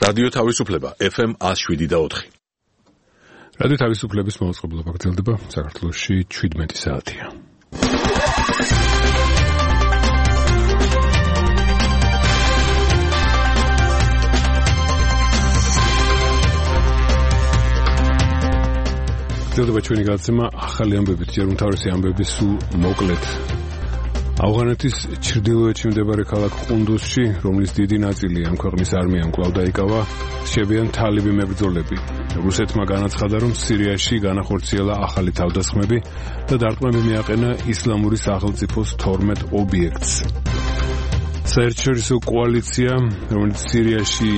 რადიო თავისუფლება FM 107.4. რადიო თავისუფლების მოწყობილობა გრძელდება საქართველოში 17 საათია. გრძელდება ჩვენი გადაცემა ახალი ამბებით, ჯერ უმთავრესი ამბები სულ მოკლედ. ავღანეთის ჩრდილოეთში მდებარე ქალაქ ყუნდუსში, რომლის დიდი ნაწილი ამ ქვეყნის არმიამ კვლავ დაიკავა, რჩებიან თალიბი მებრძოლები. რუსეთმა განაცხადა, რომ სირიაში განახორციელა ახალი თავდასხმები და დარტყმები მიაყენა ისლამური სახელმწიფოს 12 ობიექტს. საერთაშორისო კოალიცია, რომელიც სირიაში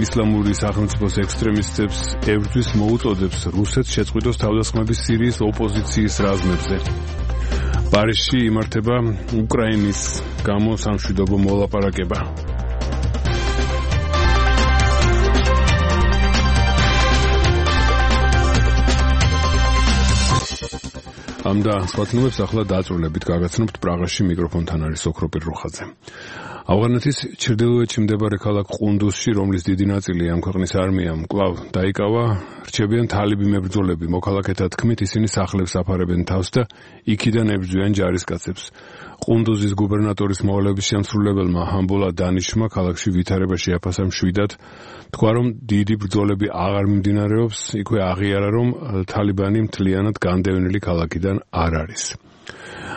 ისლამური სახელმწიფოს ექსტრემისტებს ებრძვის, მოუწოდებს რუსეთს შეწყვიტოს თავდასხმები სირიის ოპოზიციის რაზმებზე. პარიზში იმართება უკრაინის გამო სამშვიდობო მოლაპარაკება. ამ და სხვა თემებს ახლა დაწვრილებით გაგაცნობთ პრაღაში. მიკროფონთან არის ოქროპირ რუხაძე. ავღანეთის ჩრდილოეთში მდებარე ქალაქ ყუნდუსში, რომლის დიდი ნაწილი ამ ქვეყნის არმიამ კვლავ დაიკავა, რჩებიან თალიბი მებრძოლები. მოქალაქეთა თქმით, ისინი სახლებს აფარებენ თავს და იქიდან ებრძვიან ჯარისკაცებს. ყუნდუზის გუბერნატორის მოვალეობის შემსრულებელმა ჰამბულა დანიშმა ქალაქში ვითარება შეაფასა მშვიდად. თქვა, რომ დიდი ბრძოლები აღარ მიმდინარეობს, იქვე აღიარა, რომ თალიბანი მთლიანად განდევნილი ქალაქიდან არ არის.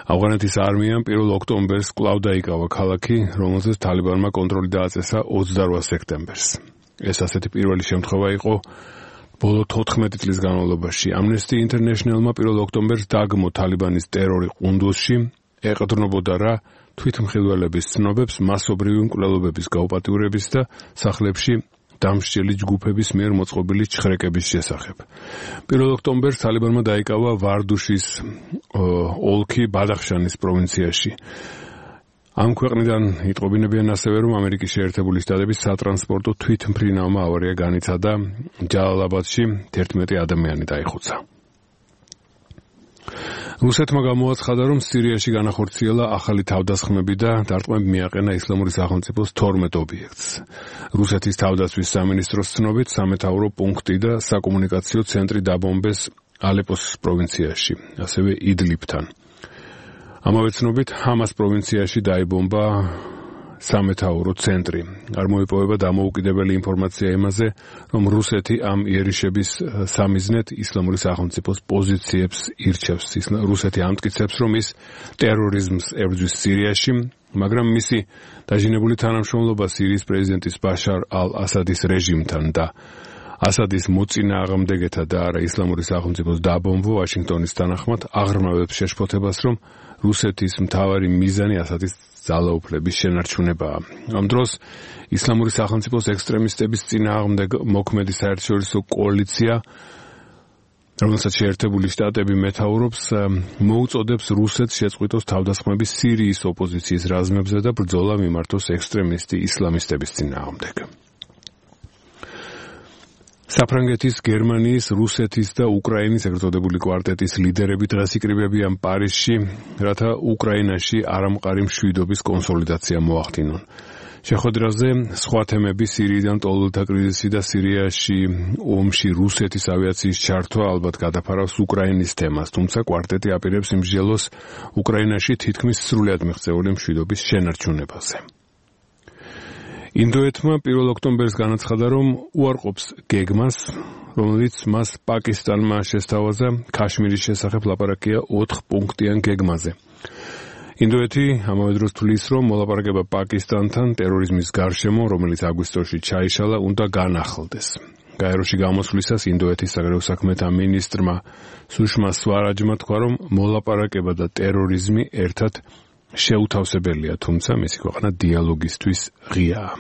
ავღანეთის არმიამ 1 ოქტომბერს კვლავ დაიკავა ქალაქი, რომელზეც თალიბანმა კონტროლი დააწესა 28 სექტემბერს. ეს ასეთი პირველი შემთხვევა იყო ბოლო 14 წლის განმავლობაში. Amnesty International-მა 1 ოქტომბერს დაგმო თალიბანის ტერორი ყუნდუსში, ეყრდნობოდა რა თვითმხილველების ცნობებს, მასობრივი მკვლელობების გაუპატიურების და სახლებში დამსჯელი ჯგუფების მიერ მოწყობილი ჩხრეკების შესახებ. 1 ოქტომბერს თალიბანმა დაიკავა ვარდუშის ოლქი ბადახშანის პროვინციაში. ამ ქვეყნიდან იტყობინებიან ასევე, რომ ამერიკის შეერთებული შტატების სატრანსპორტო თვითმფრინავმა ავარია განიცადა ჯალალაბადში 11 ადამიანი დაიხოცა. რუსეთმა გამოაცხადა, რომ სირიაში განახორციელა ახალი თავდასხმები და დარტყმები მიაყენა ისლამური სახელმწიფოს 12 ობიექტს. რუსეთის თავდაცვის სამინისტროს ცნობით, სამეთაურო პუნქტი და საკომუნიკაციო ცენტრი დაბომბეს ალეპოს პროვინციაში, ასევე იდლიბთან. ამავე ცნობით, ჰამას პროვინციაში დაიბომბა სამეთაურო ცენტრი. არ მოიპოვება დამოუკიდებელი ინფორმაცია იმაზე, რომ რუსეთი ამ იერიშების სამიზნედ ისლამური სახელმწიფოს პოზიციებს ირჩევს. რუსეთი ამტკიცებს, რომ ის ტერორიზმს ებრძვის სირიაში, მაგრამ მისი დაჟინებული თანამშრომლობა სირიის პრეზიდენტის ბაშარ ალ-ასადის რეჟიმთან და ასადის მოწინააღმდეგეთა და არა ისლამური სახელმწიფოს დაბომბვა ვაშინგტონის თანახმად აღრმავებს შეშფოთებას, რომ რუსეთის მთავარი მიზანი ასადის ძალაუფლების შენარჩუნებაა. ამ დროს ისლამური სახელმწიფოს ექსტრემისტების წინააღმდეგ მოქმედი საერთაშორისო კოალიცია, რომელსაც შეერთებული შტატები მეთაურობს, მოუწოდებს რუსეთს შეწყვიტოს თავდასხმები სირიის ოპოზიციის რაზმებზე და ბრძოლა მიმართოს ექსტრემისტი ისლამისტების წინააღმდეგ. საფრანგეთის, გერმანიის, რუსეთის და უკრაინის ეგრეთ კვარტეტის ლიდერები დღეს იკრიბებიან პარიზში, რათა უკრაინაში არამყარი მშვიდობის კონსოლიდაცია მოახდინონ. შეხვედრაზე სხვა თემები სირიიდან ტოლულთა კრიზისი და სირიაში ომში რუსეთის ავიაციის ჩართვა ალბათ გადაფარავს უკრაინის თემას, თუმცა კვარტეტი აპირებს იმსჯელოს უკრაინაში თითქმის სრულად მიღწეული მშვიდობის შენარჩუნებაზე. ინდოეთმა 1 ოქტომბერს განაცხადა, რომ უარყოფს გეგმას, რომელიც მას პაკისტანმა შესთავაზა ქაშმირის შესახებ ლაპარაკია 4 პუნქტიან გეგმაზე. ინდოეთი ამავე დროს თვლის, რომ მოლაპარაკება პაკისტანთან ტერორიზმის გარშემო, რომელიც აგვისტოში ჩაიშალა, უნდა განახლდეს. გაეროში გამოსვლისას ინდოეთის საგარეო საქმეთა მინისტრმა სუშმა სვარაჯმა თქვა, რომ მოლაპარაკება და ტერორიზმი ერთად შეუთავსებელია, თუმცა მისი ქვეყანა დიალოგისთვის ღიაა.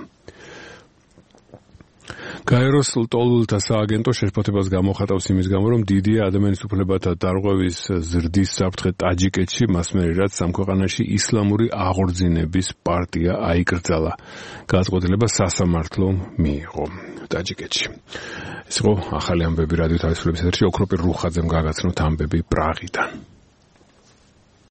გაეროს ტოლულთა სააგენტო შეშფოთებას გამოხატავს იმის გამო, რომ დიდია ადამიანის უფლებათა დარღვევის ზრდის საფრთხე ტაჯიკეთში, მას მერე რაც ამ ქვეყანაში ისლამური აღორძინების პარტია აიკრძალა. გადაწყვეტილება სასამართლო მიიღო ტაჯიკეთში. ეს იყო ახალი ამბები რადიო თავისუფლების ეთერში. ოქროპირ რუხაძემ გაგაცნოთ ამბები პრაღიდან.